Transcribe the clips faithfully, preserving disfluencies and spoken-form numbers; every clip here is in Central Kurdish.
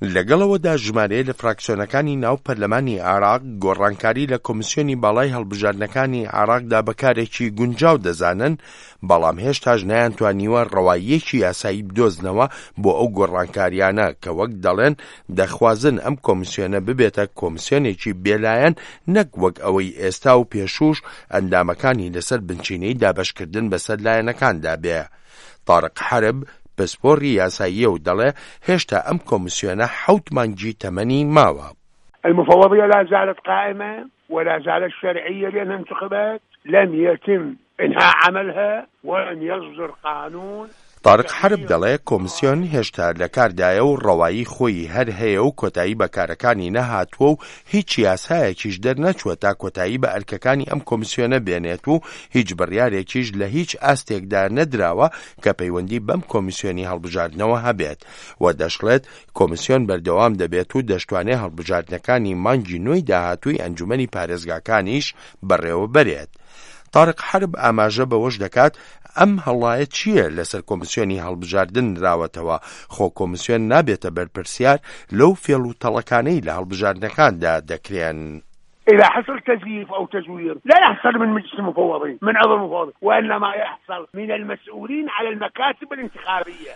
لەگەڵ ئەوەدا ژمارەیە لە فراکسیۆنەکانی ناو پەرلەمانی عێراق گۆڕانکاری لە کۆمیسیۆنی باڵای هەڵبژاردنەکانی عێراقدا بە کارێکی گونجاو دەزانن، بەڵام هێشتاش نەیانتوانیوە ڕەواییەکی یاسایی بدۆزنەوە بۆ ئەو گۆڕانکاریانە کە وەک دەڵێن دەخوازن ئەم کۆمیسیۆنە ببێتە کۆمیسیۆنێکی بێلایەن نەک وەک ئەوەی ئێستا و پێشووش ئەندامەکانی لەسەر بنچینەی دابەشکردن بەسەر لایەنەکاندا بێ. تارق حەرب پسپۆڕی یاساییە و دەڵێ هێشتا ئەم کۆمیسیۆنە حەوت مانگی تەمەنی ماوە. المفوضية لا زالت قائمة ولا زالت شرعية لأنها انتخبت، لم يتم إنهاء عملها ولم يصدر قانون. تارق حەرب دەڵێ کۆمیسیۆن هێشتا لە کاردایە و ڕەوایی خۆی هەر هەیە و کۆتایی بە کارەکانی نەهاتووە و هیچ یاسایەکیش دەرنەچووە تا کۆتایی بە ئەرکەکانی ئەم کۆمیسیۆنە بێنێت و هیچ بڕیارێکیش لە هیچ ئاستێکدا نەدراوە کە پەیوەندی بەم کۆمیسیۆنی هەڵبژاردنەوە هەبێت و دەشڵێت کۆمیسیۆن بەردەوام دەبێت و دەشتوانێت هەڵبژاردنەکانی مانگی نۆی داهاتووی ئەنجومەنی پارێزگاکانیش بەڕێوەبەرێت. تارق حەرب ئاماژە بەوەش دەکات ئەم هەڵایە چییە لەسەر کۆمیسیۆنی هەڵبژاردن نراوەتەوە، خۆ کۆمیسیۆن نابێتە بەرپرسیار لەو فێڵ و تەڵەکانەی لە هەڵبژاردنەکاندا دەکرێن. إذا حصل تزييف أو تزوير لا يحصل من مجلس المفوضين من عضو المفوضين وإنما يحصل من المسؤولين على المكاتب الانتخابية.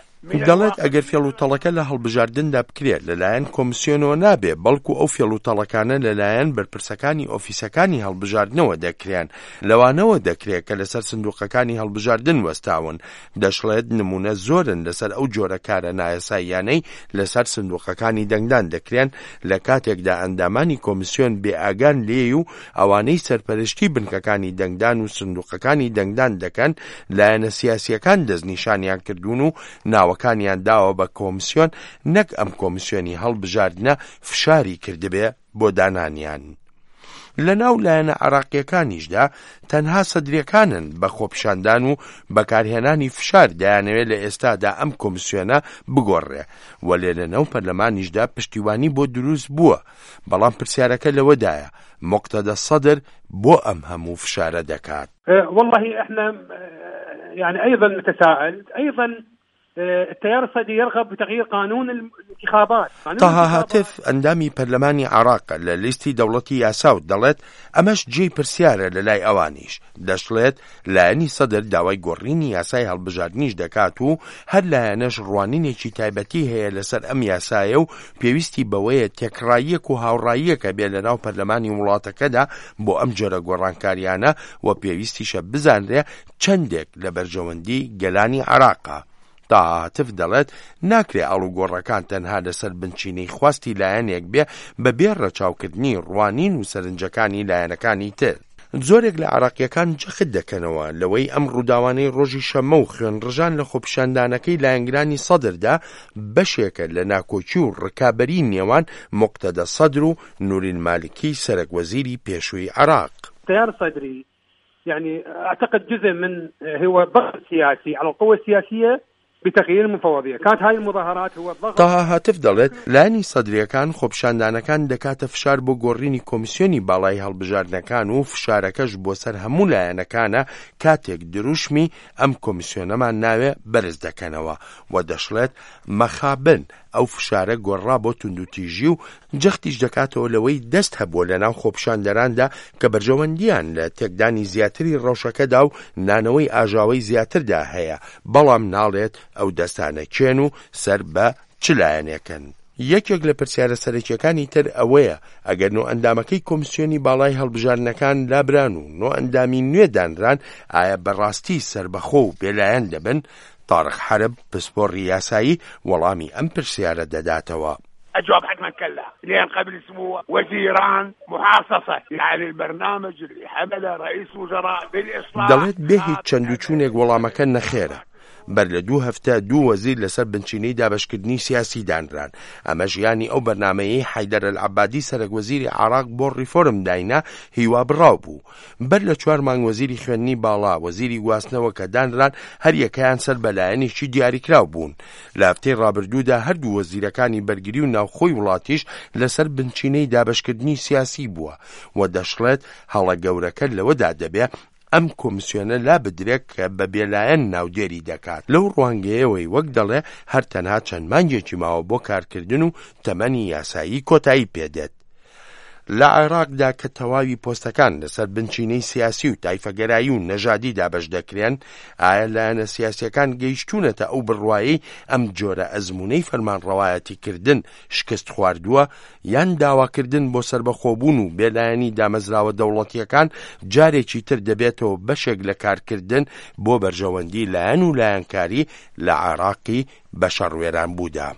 دەڵێت ئەگەر فێڵ و تەڵەکە لە هەڵبژاردندا بکرێت لەلایەن کۆمیسیۆنەوە نابێ، بەڵکو ئەو فێڵ و تەڵەکانە لەلایەن بەرپرسەکانی ئۆفیسەکانی هەڵبژاردنەوە دەکرێن، لەوانەوە دەکرێت کە لەسەر سندوقەکانی هەڵبژاردن وەستاون. دەشڵێت نمونە زۆرن لەسەر ئەو جۆرە کارە نایاساییانەی لەسەر سندوقەکانی دەنگدان دەکرێن لە کاتێکدا ئەندامانی کۆمیسیۆن بێئاگان لێی و ئەوانەی سەرپەرشتی بنکەکانی دەنگدان و سندوقەکانی دەنگدان دەکەن لایەنە سیاسیەکان دەستنیشانیان کردوون و ناوەکانیان داوە بە کۆمیسیۆن، نەک ئەم کۆمیسیۆنی هەڵبژاردنە فشاری کردبێ بۆ دانانیان. لە ناو لایەنە عراقیەکانیشدا تەنها سەدرەکانن بە خۆپیشاندان و بەکارهێنانی فشار دەیانەوێت لە ئێستادا ئەم کۆمیسیۆنە بگۆڕێ، وەلێ لە ناو پەرلەمانیشدا پشتیوانی بۆ دروست بووە. بەڵام پرسیارەکە لەوەدایە مقتەدە سەدر بۆ ئەم هەموو فشارە دەکات؟ والله احنا يعني ايضا نتساءل، ايضا التيار الصدري يرغب بتغيير قانون الانتخابات. تاها هاتف ئەندامی پەرلەمانی عراق لە لیستی دەوڵەتی یاسا و دەڵێت ئەمەش جێی پرسیارە لە لای ئەوانیش. دەشڵێت لایەنی سەدر داوای گۆڕینی یاسای هەڵبژاردنیش دەکات و هەر لایەنەش ڕوانینێکی تایبەتی هەیە لەسەر ئەم یاسایە و پێویستی بەوەیە تێکڕاییەک و هاوڕاییەکە بێ لەناو پەرلەمانی وڵاتەکەدا بۆ ئەم جۆرە گۆڕانکاریانە و پێویستیشە بزانرێ چەندێک لە بەرژەوەندی گەلانی عراقە. تاهاتف دەڵێت ناکرێ ئاڵوگۆڕەکان تەنها لەسەر بنچینەی خواستی لایەنێک بێ بەبێ ڕەچاوکردنی ڕوانین و سەرنجەکانی لایەنەکانی تر. زۆرێک لە عراقیەکان جەخت دەکەنەوە لەوەی ئەم ڕووداوانەی ڕۆژی شەممە و خوێنڕژان لە خۆپیشاندانەکەی لایەنگرانی سەدردا بەشێکە لە ناکۆکی و ڕکابەری نێوان مقتەدە سەدر و نوری المالکی سەرەک وەزیری پێشووی عراق. التيار الصدري يعني اعتقد جزء من هو ضغط سياسي على القوى السياسية بتغيير المفوضية. كانت هاي المظاهرات هو الضغط. تاها هاتف دەڵێت لایەنی سەدریەکان خۆپیشاندانەکان دەکاتە فشار بۆ گۆڕینی کۆمیسیۆنی باڵای هەڵبژاردنەکان و فشارەکەش بۆ سەر هەموو لایەنەکانە کاتێک دروشمی ئەم کۆمیسیۆنەمان ناوێ بەرز دەکەنەوە و دەشڵێت مەخابن ئەو فشارە گۆڕا بۆ توندوتیژی و جەختیش دەکاتەوە لەوەی دەست هەبووە لەناو خۆپیشاندەراندا کە بەرژەوەندیان لە تێکدانی زیاتری ڕەوشەکەدا و نانەوەی ئاژاوەی زیاتردا هەیە، بەڵام ناڵێت ئەو دەستانە کێن و سەر بە چ لایەنێکن. یەکێک لە پرسیارە سەرەکیەکانی تر ئەوەیە ئەگەر نۆ ئەندامەکەی کۆمیسیۆنی باڵای هەڵبژاردنەکان لابران و نۆ ئەندامی نوێ دانران، ئایا بەڕاستی سەربەخۆ و بێلایەن دەبن؟ تارق حەرب پسپۆڕی یاسایی وەڵامی ئەم پرسیارە دەداتەوە. الجواب حتما كلا، لأن قبل أسبوع وزيران محاصصة، يعني البرنامج اللي حمله رئيس وزراء بالإصلاح. دەڵێت بێ هیچ چەند و چوونێک وەڵامەکە نەخێرە. بەر لە دوو هەفتە دوو وەزیر لەسەر بنچینەی دابەشکردنی سیاسی دانران. ئەمە ژیانی ئەو بەرنامەیەی حەیدەر ئەلعەبادی سەرەک وەزیری عراق بۆ ڕیفۆرم داینا هیوا بڕاو بوو. بەر لە چوار مانگ وەزیری خوێندنی باڵا، وەزیری گواستنەوە کە دانران هەریەکەیان سەر بە لایەنێکی دیاریکراو بوون. لە هەفتەی ڕابردوودا هەردوو وەزیرەکانی بەرگری و ناوخۆی وڵاتیش لەسەر بنچینەی دابەشکردنی سیاسی بووە و دەشڵێت هەڵە گەورەکە لەوەدا دەبێ ئەم کۆمسیۆنە لابدرێت کە بە بێلایەن ناودێری دەکات، لەو ڕوانگەیەوەی وەک دەڵێ هەر تەنها چەند مانگێکی ماوە بۆ کارکردن و تەمەنی یاسایی کۆتایی پێدێت. لە عێراقدا کە تەواوی پۆستەکان لەسەر بنچینەی سیاسی و تایفەگەرایی و نەژادی دابەش دەکرێن، ئایا لایەنە سیاسیەکان گەیشتوونەتە ئەو بڕوایەی ئەم جۆرە ئەزموونەی فەرمانڕەوایەتیکردن شکست خواردووە، یان داواکردن بۆ سەربەخۆبوون و بێلایەنی دامەزراوە دەوڵەتیەکان جارێکی تر دەبێتەوە بەشێک لە کارکردن بۆ بەرژەوەندی لایەن و لایەنکاری لە عێراقی بەشەڕوێران بوودا؟